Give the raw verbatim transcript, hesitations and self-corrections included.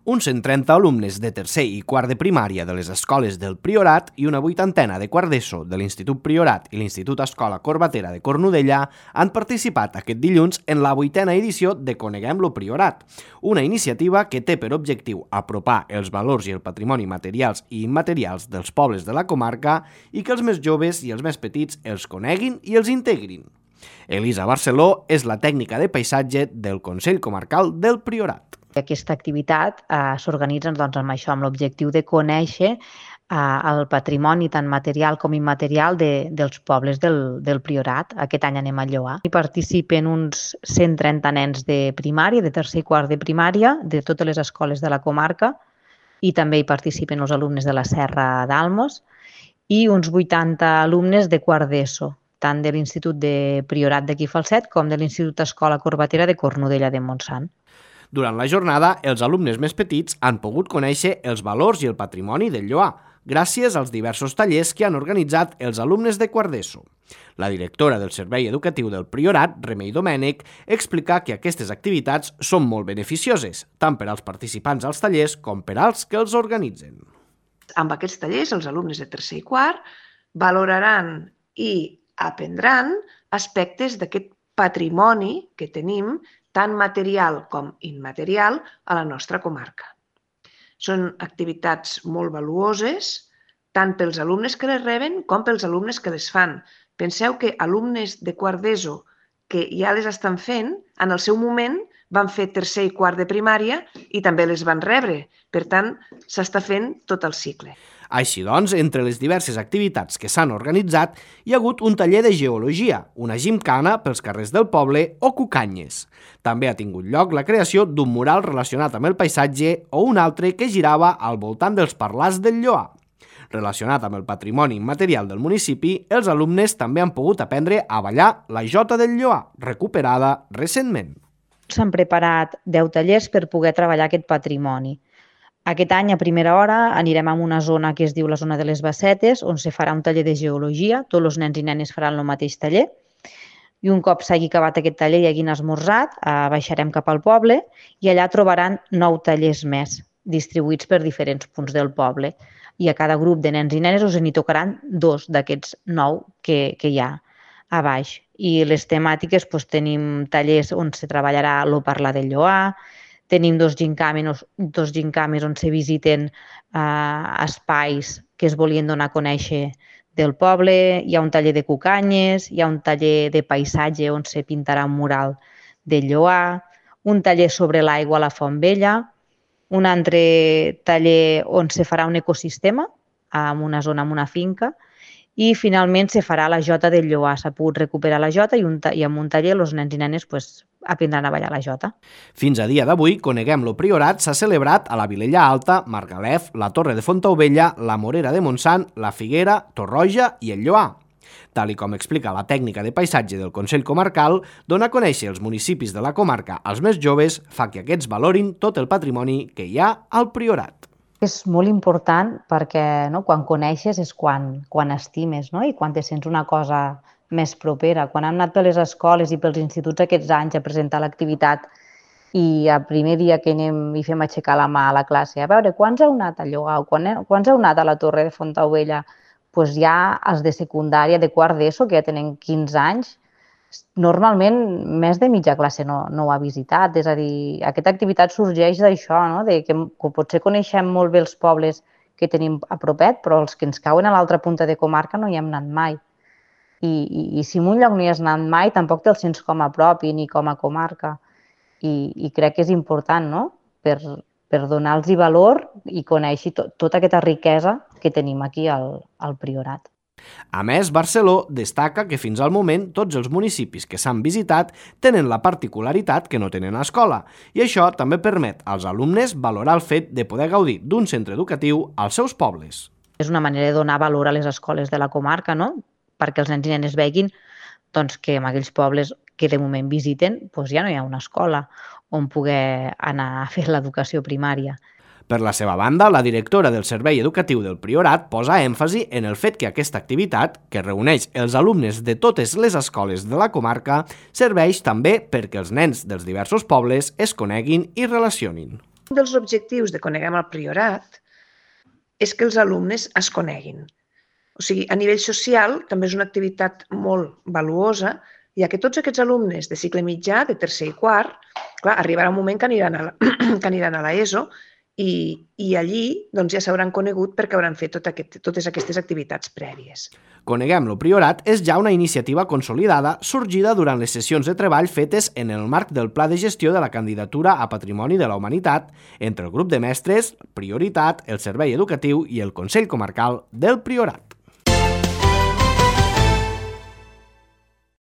uns cent trenta alumnes de tercer i quart de primària de les escoles del Priorat i una vuitantena de quart d'ESO de l'Institut Priorat i l'Institut Escola Corbatera de Cornudella han participat aquest dilluns en la vuitena edició de Coneguem lo Priorat, una iniciativa que té per objectiu apropar els valors i el patrimoni materials i immaterials dels pobles de la comarca i que els més joves i els més petits els coneguin i els integrin. Elisa Barceló és la tècnica de paisatge del Consell Comarcal del Priorat. Aquesta activitat eh, s'organitza doncs, amb això, amb l'objectiu de conèixer eh, el patrimoni tant material com immaterial de, dels pobles del, del Priorat. Aquest any anem a Lloar. Hi participen uns cent trenta nens de primària, de tercer i quart de primària, de totes les escoles de la comarca, i també hi participen els alumnes de la Serra d'Almos i uns vuitanta alumnes de quart d'ESO, tant de l'Institut de Priorat d'aquí Falset com de l'Institut Escola Corbatera de Cornudella de Montsant. Durant la jornada, els alumnes més petits han pogut conèixer els valors i el patrimoni del Lloar, gràcies als diversos tallers que han organitzat els alumnes de quart d'ESO. La directora del Servei Educatiu del Priorat, Remei Domènech, explica que aquestes activitats són molt beneficioses, tant per als participants als tallers com per als que els organitzen. Amb aquests tallers, els alumnes de tercer i quart valoraran i aprendran aspectes d'aquest patrimoni que tenim, tant material com immaterial, a la nostra comarca. Són activitats molt valuoses, tant pels alumnes que les reben com pels alumnes que les fan. Penseu que alumnes de quart d'ESO que ja les estan fent, en el seu moment van fer tercer i quart de primària i també les van rebre. Per tant, s'està fent tot el cicle. Així doncs, entre les diverses activitats que s'han organitzat, hi ha hagut un taller de geologia, una gimcana pels carrers del poble o cucanyes. També ha tingut lloc la creació d'un mural relacionat amb el paisatge o un altre que girava al voltant dels parlars del Lloar. Relacionat amb el patrimoni immaterial del municipi, els alumnes també han pogut aprendre a ballar la jota del Lloar, recuperada recentment. S'han preparat deu tallers per poder treballar aquest patrimoni. Aquest any, a primera hora, anirem a una zona que es diu la zona de les Bassetes, on se farà un taller de geologia. Tots els nens i nenes faran el mateix taller. I un cop s'hagi acabat aquest taller i hagin esmorzat, baixarem cap al poble i allà trobaran nou tallers més, distribuïts per diferents punts del poble. I a cada grup de nens i nenes us n'hi tocaran dos d'aquests nou que, que hi ha a baix. I les temàtiques, doncs, tenim tallers on se treballarà el parlar del Lloar, tenim dos gincames, dos gincames on se visiten eh, espais que es volien donar a conèixer del poble, hi ha un taller de cucanyes, hi ha un taller de paisatge on se pintarà un mural del Lloar, un taller sobre l'aigua a la Font Vella, un altre taller on se farà un ecosistema en una zona, en una finca, i finalment se farà la jota del Lloar. S'ha pogut recuperar la jota i, un, i amb un taller els nens i nenes pues, aprendran a ballar la jota. Fins a dia d'avui, Coneguem lo Priorat s'ha celebrat a la Vilella Alta, Margalef, la Torre de Fontaubella, la Morera de Montsant, la Figuera, Torroja i el Lloar. Tal i com explica la tècnica de paisatge del Consell Comarcal, donar a conèixer els municipis de la comarca als més joves fa que aquests valorin tot el patrimoni que hi ha al Priorat. És molt important perquè no, quan coneixes és quan, quan estimes, no? I quan te sents una cosa més propera. Quan hem anat per les escoles i pels instituts aquests anys a presentar l'activitat i el primer dia que anem i fem aixecar la mà a la classe, a veure, quants heu anat a Lloar? Quants heu anat a la Torre de Fontaubella? Doncs ja els de secundària, de quart d'ESO, que ja tenen quinze anys, normalment més de mitja classe no, no ho ha visitat. És a dir, aquesta activitat sorgeix d'això, no? De que, que potser coneixem molt bé els pobles que tenim a propet, però els que ens cauen a l'altra punta de comarca no hi hem anat mai. I, i, i si en un lloc no hi has anat mai, tampoc te'l sents com a propi ni com a comarca. I, i crec que és important, no? Per, per donar-los valor i conèixer to, tota aquesta riquesa que tenim aquí al, al Priorat. A més, Barceló destaca que fins al moment tots els municipis que s'han visitat tenen la particularitat que no tenen a escola i això també permet als alumnes valorar el fet de poder gaudir d'un centre educatiu als seus pobles. És una manera de donar valor a les escoles de la comarca, no? Perquè els nens i nenes veguin doncs, que en aquells pobles que de moment visiten doncs ja no hi ha una escola on poder anar a fer l'educació primària. Per la seva banda, la directora del Servei Educatiu del Priorat posa èmfasi en el fet que aquesta activitat, que reuneix els alumnes de totes les escoles de la comarca, serveix també perquè els nens dels diversos pobles es coneguin i relacionin. Un dels objectius de Coneguem el Priorat és que els alumnes es coneguin. O sigui, a nivell social també és una activitat molt valuosa, ja que tots aquests alumnes de cicle mitjà, de tercer i quart, clar, arribarà un moment que aniran a la, que aniran a l'ESO i, i allí doncs, ja s'hauran conegut perquè hauran fet tot aquest, totes aquestes activitats prèvies. Coneguem lo Priorat és ja una iniciativa consolidada sorgida durant les sessions de treball fetes en el marc del Pla de Gestió de la Candidatura a Patrimoni de la Humanitat entre el grup de mestres, Prioritat, el Servei Educatiu i el Consell Comarcal del Priorat.